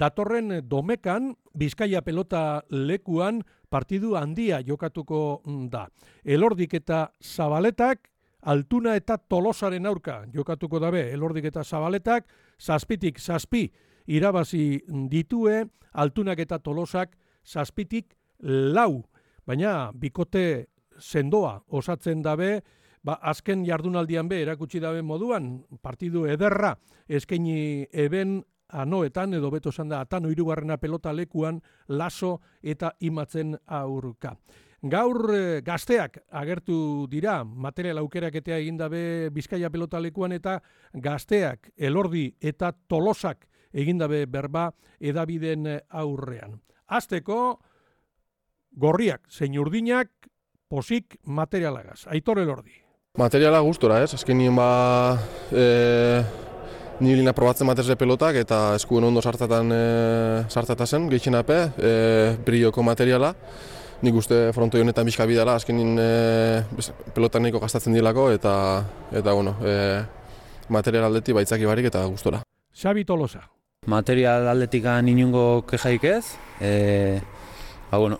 datorren domekan, Bizkaia pelota lekuan, partidu handia jokatuko da. Elordik eta Zabaletak, Altuna eta Tolosaren aurka jokatuko dabe. Elordik eta Zabaletak, 7-7 irabazi ditue, Altunak eta Tolosak 7-4. Baina, bikote sendoa osatzen dabe, azken jardunaldian erakutsi dabe moduan, partidu ederra eskaini eben anoetan, edo beto esan da, atano 3. pelota lekuan, Laso eta Imatzen aurka. Gaur gazteak agertu dira, material aukeraketea egin dabe Bizkaia pelota lekuan, eta gazteak, Elordi eta Tolosak egin dabe berba edabiden aurrean. Hasteko, gorriak, zein urdinak, posik materialagaz. Aitor Elordi. Materiala gustora, ez? Azkenien nilina probatzen matezle pelotak eta eskuen ondo sartzata zen, gehienape, brioko materiala. Nik uste frontoi honetan bizka bidala, azkenin pelotan nahiko gastatzen dilako eta material aldetik baitzaki barik eta gustora. Xabi Tolosa. Material aldetikan inungo kejaik ez.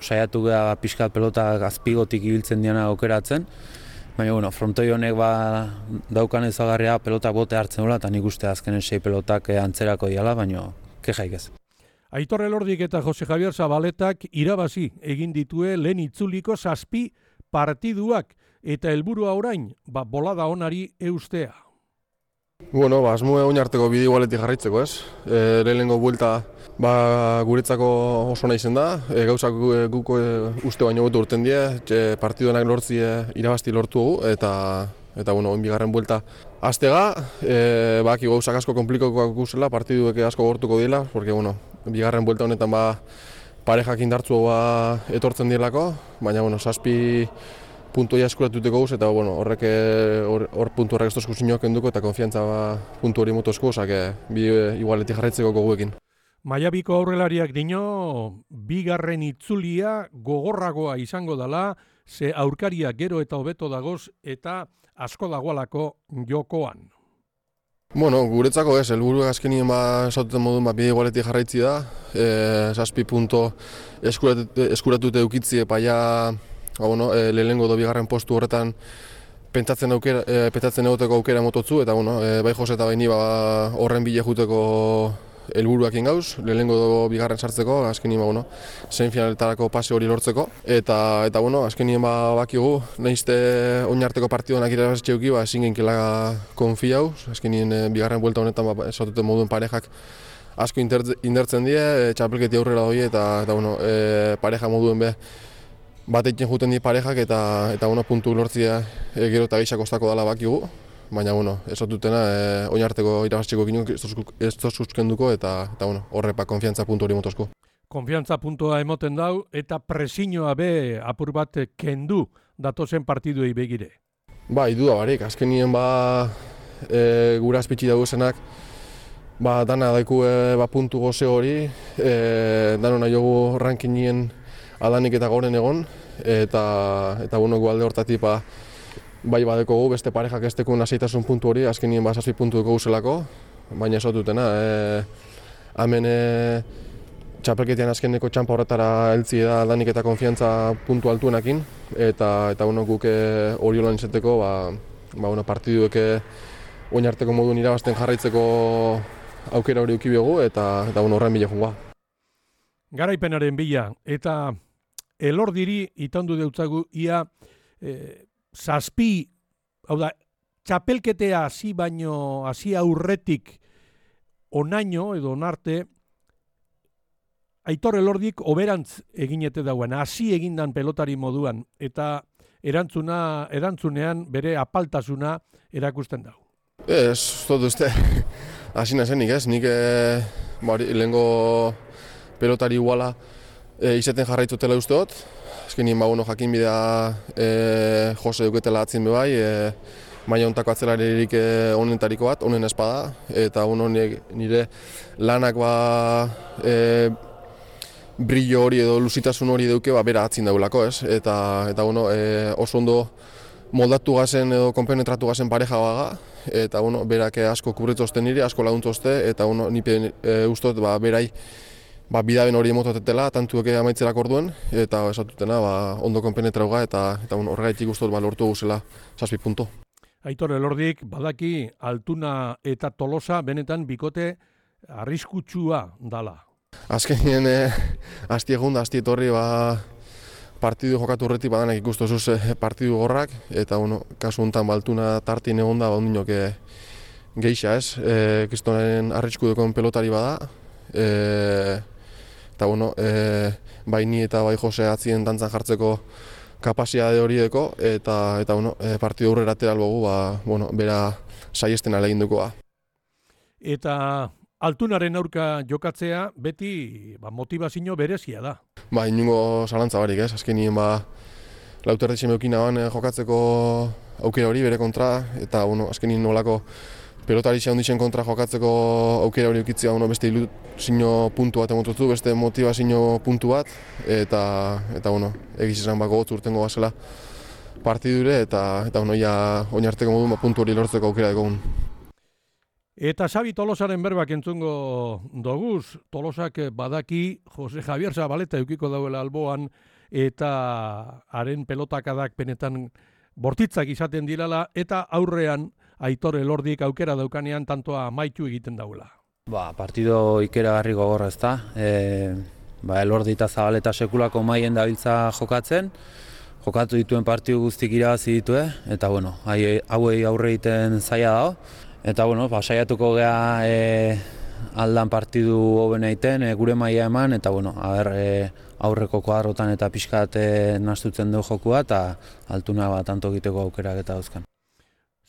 Saiatu gara pixka pelota azpigotik ibiltzen diana aukeratzen. Baina, frontoi honek daukan ezagarria pelota bote hartzen dula, eta nik uste azkenen 6 pelotak antzerako diala, baina kejaik ez. Aitor Elordik eta Jose Javier Zabaletak irabazi egin ditue lehen itzuliko 7 partiduak, eta helburua orain, bolada onari eustea. Asmoe oinarteko bide igualetik jarraitzeko, ez? Lehenengo buelta guretzako oso nahi zen da, gauzak guk uste baino gotu urten die, partiduenak lortzi irabazti lortu dugu, eta bigarren buelta aztega, baki gauzak asko komplikokoak guzela, partiduek asko gortuko dira, porque bigarren buelta honetan parejak indartzu etortzen direlako, baina 7 puntoia eskuratuteko guz, eta hor puntu horrek estozko zinioak enduko eta konfiantza puntu hori motozko, bi igualetik jarraitzeko goguekin. Maiabiko aurrelariak dino, bigarren itzulia gogorragoa izango dela, ze aurkaria gero eta hobeto dagoz eta asko dagoalako jokoan. Guretzako ez, helburu azkenien esatuten modun bide igualetik jarraitzi da, 7 punto eskuratute eukitzi paia lehenengo do bigarren postu horretan pentsatzen egoteko aukera mototzu, eta bai Jose eta baini horren bile juteko helburuak ingauz, lehenengo do bigarren sartzeko, azkenien semifinaletarako pase hori lortzeko, eta azkenien bakigu, nahizte oinarteko partiduanak irabazitxe euki, ezin genkela konfiau, azkenien bigarren buelta honetan esatuten moduen parejak asko indertzen die, txapelketi aurrera doi, eta pareja moduen batekin juten di parejak eta puntu lortzia gero eta gehiago kostako dela bakigu, baina ez dutena oinarteko irabazteko ginen ez suskenduko eta horrepa konfiantza puntu hori motozko. Konfiantza puntua emoten dau eta presiñoa be apur bat kendu datozen partiduei begire. Duda barik, azkenien gura azpitsi dagozenak dana daiku puntu goze hori, danona jogu rankinien adanik eta goren egon, eta gualde hortatik bai badekogu beste parejak ez tekun aseitasun puntu hori, azkenien 7 puntu dugu zelako, baina ez dutena. Hemen txapelketian azkeneko txampa horretara heltzi da adanik eta konfiantza puntu altuenakin, eta guk hori holan izateko partiduek oinarteko moduen irabazten jarraitzeko aukera hori ukibiogu, eta horren bile jungoa. Garaipenaren bila, eta Elordiri itandu deutzagu ia 7, txapelketea hasi aurretik onaino edo onarte, Aitor Elordik oberantz eginete dauen, hasi egindan pelotari moduan, eta erantzunean bere apaltasuna erakusten dago. Ez dut uste, hasi nazenik ez, nik lehengo pelotari iguala izaten jarraitzotela uste dut. Azkenien jakin bidea Jose duketela atzin bebai, maila hontako atzelaririk onenetariko bat, onen espada, eta nire lanak brillo hori edo lusitasun hori duke bera atzin daulako, ez? Eta oso ondo moldatu gazen edo konpenetratu gazen pareja baga, eta berak asko kubretzozten nire, asko laguntzozte, eta nipe ustot berai bidaben hori emotatetela, tantuek amaitzerak orduen, eta esatutena ondo konpenetrauga, eta horregaitik guztot lortu guzela 7 punto. Aitor Elordik badaki Altuna eta Tolosa benetan bikote arriskutsua dala. Azkenien asti egun da, asti etorri partidu jokatu horretik badanak ikustozuz partidu gorrak, eta kasu honetan Altuna tartin egon da, ondinok geisha ez, kristonen arriskudekon pelotari bada, eta bai ni eta bai Jose atzien dantzan jartzeko kapasitate horieko, eta partidu aurrera atera albogu, bera saiesten alegindukoa. Eta Altunaren aurka jokatzea beti motivazio berezia da. Inungo zalantza barik ez, azkenien lauterretxe meukin aban jokatzeko aukera hori bere kontra, eta azkenien nolako pelotari xeonditzen kontra jokatzeko aukera hori ukitzea beste ilusio puntu bat emotutu, beste motivazio puntu bat, eta egiz esan gogotz urtengo bazela partidure, eta ja oinarteko modu puntu hori lortzeko aukera dugun. Eta Xabi Tolosaren berbak entzungo doguz, Tolosak badaki Jose Javier Zabaleta eukiko dauela alboan, eta haren pelotakadak penetan bortitzak izaten dirala, eta aurrean Aitor Elordik aukera daukanean tantoa amaitu egiten dauela. Partido ikeragarri gogorra ez da. Elordi eta Zabaleta sekulako maien dabiltza jokatzen, jokatu dituen partidu guztik irabazi ditue, eta hauei aurre egiten zaila dago. Eta saiatuko gea aldan partidu hobena egiten, gure maila eman, eta aurreko kuadrotan eta pixkat nastutzen du jokua, eta Altuna tanto egiteko aukerak eta dauzkan.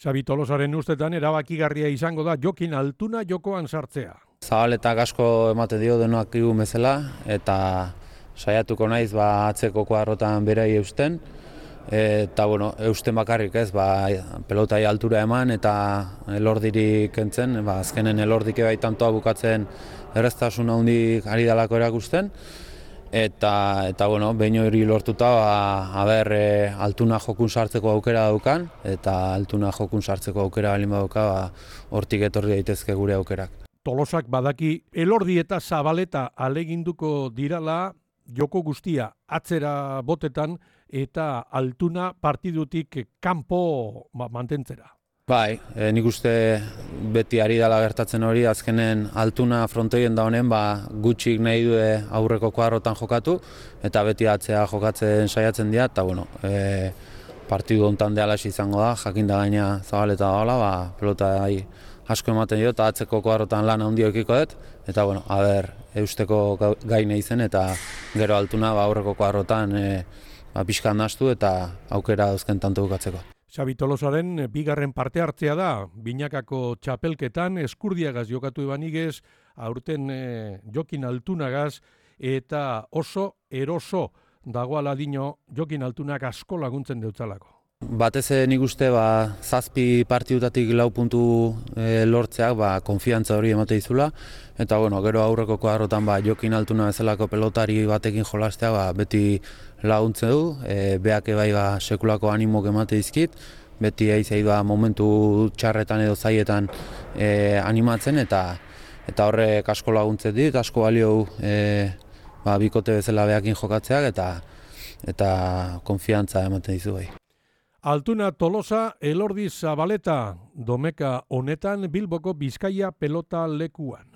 Xabi Tolosaren ustetan erabakigarria izango da Jokin Altuna jokoan sartzea. Zabaletak asko ematen dio denoak igun bezala, eta saiatuko naiz atzeko kuadrotan berai eusten, eta eusten bakarrik ez, pelotai altura eman eta Elordirik kentzen, azkenen Elordik bai tantoa bukatzen erreztasun handik ari dalako erakusten, eta behin hori lortuta Altuna jokun sartzeko aukera daukan, eta Altuna jokun sartzeko aukera balin badauka, hortik etorri daitezke gure aukerak. Tolosak badaki Elordi eta Zabaleta aleginduko dirala joko guztia atzera botetan, eta Altuna partidutik kanpo mantentzera. Nik uste beti ari dela gertatzen hori, azkenen Altuna frontoien da honen gutxik nahi du aurreko kuadrotan jokatu, eta beti atzea jokatzen saiatzen dira, eta partidu hontan dealaxi izango da, jakin da gaina Zabaleta dagoela, pelota asko ematen dio, eta atzeko kuadrotan lan handia ekiko dut, eta eusteko gaine izen, eta gero Altuna aurreko kuadrotan pixkan nastu eta aukera dauzken tanto bukatzeko. Xabi Tolosaren bigarren parte hartzea da, binakako txapelketan Eskurdiagaz jokatu ebanigez, aurten Jokin Altunagaz, eta oso eroso dagoala dino Jokin Altunak asko laguntzen deutzalako. Batez nik uste 7 partidutatik 4 puntu lortzeak konfiantza hori emate dizula, eta gero aurreko kuadrotan Jokin Altuna bezalako pelotari batekin jolastea beti laguntzen du, beak bai sekulako animok emate dizkit, beti aizei momentu txarretan edo zaietan animatzen, eta horrek asko laguntzen dit, asko balio bikote bezala beakin jokatzeak, eta konfiantza ematen dizu bai. Altuna Tolosa, Elordi Zabaleta, domeka honetan Bilboko Bizkaia pelota lekuan.